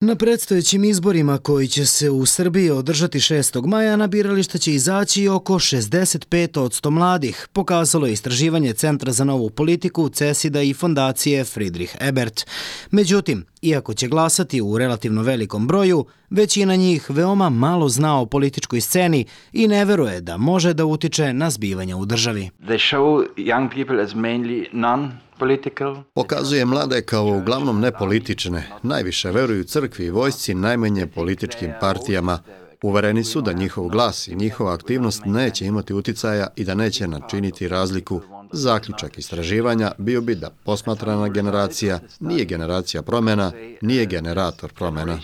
Na predstojećim izborima koji će se u Srbiji održati 6. maja na birališta će izaći oko 65% mladih, pokazalo je istraživanje Centra za novu politiku, CESID-a i fondacije Friedrich Ebert. Međutim, iako će glasati u relativno velikom broju, većina njih veoma malo zna o političkoj sceni i ne veruje da može da utiče na zbivanja u državi. Pokazuje mlade kao uglavnom nepolitične, najviše veruju crkvi i vojsci, najmanje političkim partijama. Uvereni su da njihov glas i njihova aktivnost neće imati uticaja i da neće načiniti razliku. Zaključak istraživanja bio bi da posmatrana generacija nije generacija promjena, nije generator promjena.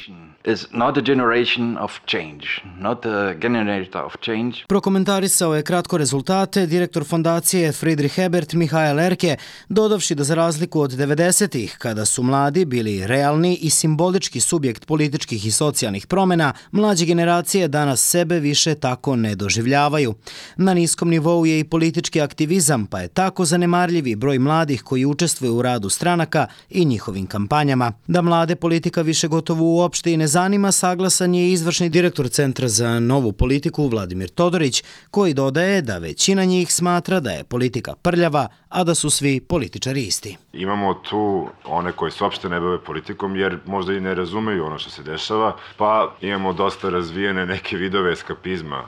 Prokomentarisao je kratko rezultate direktor fondacije Friedrich Ebert Mihael Erke, dodavši da za razliku od 90-ih, kada su mladi bili realni i simbolički subjekt političkih i socijalnih promjena, mlađe generacije danas sebe više tako ne doživljavaju. Na niskom nivou je i politički aktivizam, pa je tako zanemarljivi broj mladih koji učestvuju u radu stranaka i njihovim kampanjama. Da mlade politika više gotovo uopšte i ne zanima, saglasan je izvršni direktor Centra za novu politiku Vladimir Todorić, koji dodaje da većina njih smatra da je politika prljava, a da su svi političari isti. Imamo tu one koji se uopšte ne bave politikom jer možda i ne razumeju ono što se dešava, pa imamo dosta razvijene neke vidove eskapizma,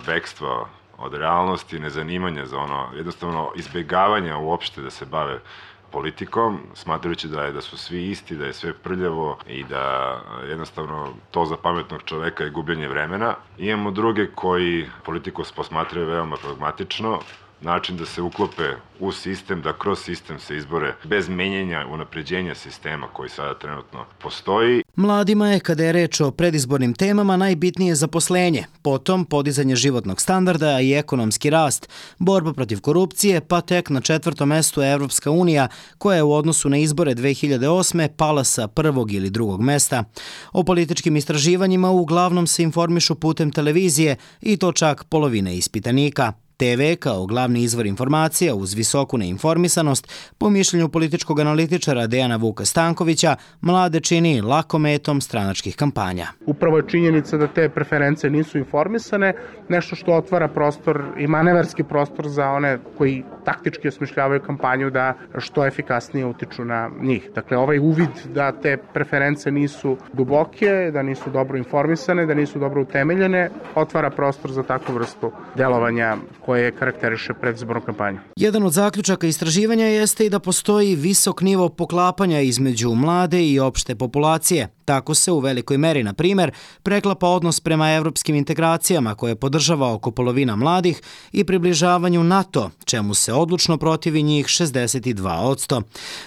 bekstva od realnosti, nezanimanja za ono, jednostavno izbjegavanja uopšte da se bave politikom, smatrajući da su svi isti, da je sve prljavo i da jednostavno to za pametnog čoveka je gubljenje vremena. Imamo druge koji politiku posmatraju veoma pragmatično, način da se uklope u sistem, da kroz sistem se izbore bez menjenja, unapređenja sistema koji sada trenutno postoji. Mladima je, kada je reč o predizbornim temama, najbitnije zaposlenje, potom podizanje životnog standarda i ekonomski rast, borba protiv korupcije, pa tek na 4. mestu Evropska unija, koja je u odnosu na izbore 2008. pala sa 1. ili 2. mesta. O političkim istraživanjima uglavnom se informišu putem televizije i to čak polovine ispitanika. TV kao glavni izvor informacija uz visoku neinformisanost, po mišljenju političkog analitičara Dejana Vuka Stankovića, mlade čini lakometom stranačkih kampanja. Upravo je činjenica da te preference nisu informisane, nešto što otvara prostor i manevarski prostor za one koji taktički osmišljavaju kampanju da što efikasnije utiču na njih. Dakle, ovaj uvid da te preference nisu duboke, da nisu dobro informisane, da nisu dobro utemeljene, otvara prostor za takvu vrstu delovanja koje karakteriše predizbornu kampanju. Jedan od zaključaka istraživanja jeste i da postoji visok nivo poklapanja između mlade i opšte populacije. Tako se u velikoj meri, na primjer, preklapa odnos prema evropskim integracijama koje podržava oko polovina mladih i približavanju NATO, čemu se odlučno protivi njih 62%.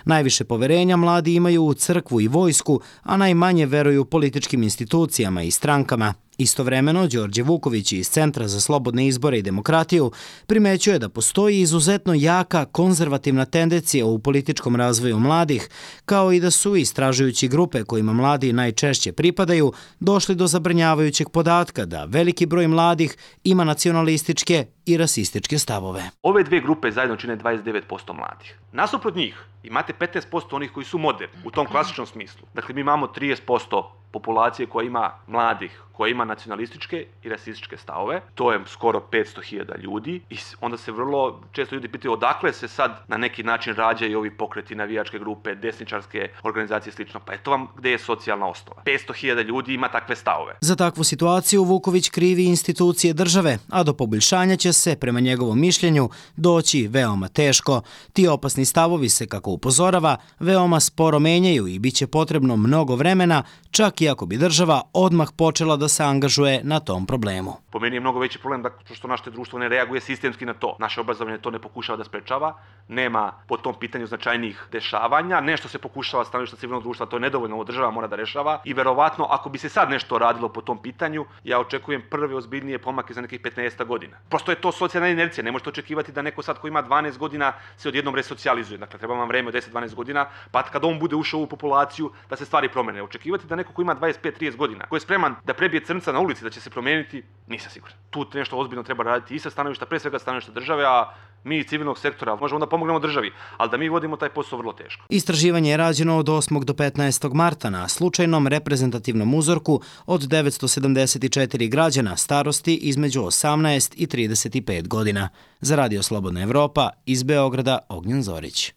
Najviše poverenja mladi imaju u crkvu i vojsku, a najmanje veruju političkim institucijama i strankama. Istovremeno, Đorđe Vuković iz Centra za slobodne izbore i demokratiju primećuje da postoji izuzetno jaka konzervativna tendencija u političkom razvoju mladih, kao i da su istražujući grupe kojima mladi najčešće pripadaju došli do zabrinjavajućeg podatka da veliki broj mladih ima nacionalističke i rasističke stavove. Ove dve grupe zajedno čine 29% mladih. Nasuprot njih imate 15% onih koji su moderni u tom klasičnom smislu. Dakle, mi imamo 30% populacije koja ima mladih, koja ima nacionalističke i rasističke stavove. To je skoro 500.000 ljudi i onda se vrlo često ljudi pitaju odakle se sad na neki način rađaju ovi pokreti, navijačke grupe, desničarske organizacije i slično. Pa eto vam gde je socijalna osnova. 500.000 ljudi ima takve stavove. Za takvu situaciju Vuković krivi institucije države, a do poboljšanja će se, prema njegovom mišljenju, doći veoma teško. Ti opasni stavovi se, kako upozorava, veoma sporo menjaju i bit će potrebno mnogo vremena, čak i ako bi država odmah počela da se angažuje na tom problemu. Po meni je mnogo veći problem da što naše društvo ne reaguje sistemski na to. Naše obrazovanje to ne pokušava da sprečava, nema po tom pitanju značajnih dešavanja, nešto se pokušava stanovišta civilnog društva, to je nedovoljno, ovo država mora da rešava i verovatno ako bi se sad nešto radilo po tom pitanju, ja očekujem prve ozbiljnije pomake za nekih 15 godina. Prosto je to socijalna inercija, ne možete očekivati da neko sad ko ima 12 godina se odjednom resocijalizuje. Dakle, treba vam vreme od 10-12 godina, pa kad on bude ušao u populaciju da se stvari promene. Očekivati da neko ko ima 25-30 godina, ko je spreman da prebije crnca na ulici da će se promijeniti, nisam siguran. Tu nešto ozbiljno treba raditi i sa stanovišta, pre svega stanovišta države, a mi iz civilnog sektora možemo da pomognemo državi, ali da mi vodimo taj posao vrlo teško. Istraživanje je rađeno od 8. do 15. marta na slučajnom reprezentativnom uzorku od 974 građana starosti između 18 i 35 godina. Za Radio Slobodna Evropa iz Beograda, Ognjen Zorić.